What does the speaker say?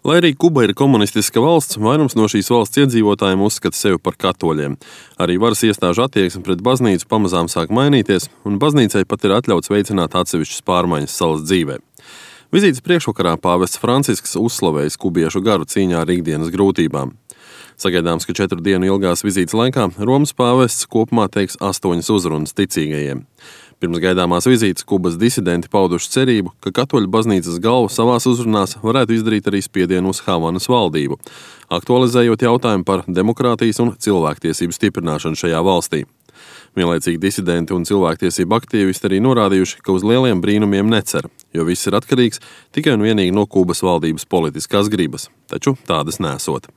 Lai arī Kuba ir komunistiska valsts, vairums no šīs valsts iedzīvotājiem uzskata sevi par katoļiem. Arī varas iestāžu attieksme pret baznīcu pamazām sāk mainīties, un baznīcai pat ir atļauts veicināt atsevišķas pārmaiņas salas dzīvē. Vizītes priekšvakarā pāvests Francisks uzslavējis kubiešu garu cīņā ar ikdienas grūtībām. Sagaidāms, ka 4 dienu ilgās vizītes laikā Romas pāvests kopumā teiks 8 uzrunas ticīgajiem. Pirms gaidāmās vizītes Kubas disidenti pauduši cerību, ka katoļu baznīcas galva savās uzrunās varētu izdarīt arī spiedienu uz Havanas valdību, aktualizējot jautājumu par demokrātijas un cilvēktiesību stiprināšanu šajā valstī. Vienlaicīgi disidenti un cilvēktiesību aktīvisti arī norādījuši, ka uz lieliem brīnumiem necer, jo viss ir atkarīgs tikai un vienīgi no Kubas valdības politiskās gribas, taču tādas nesot.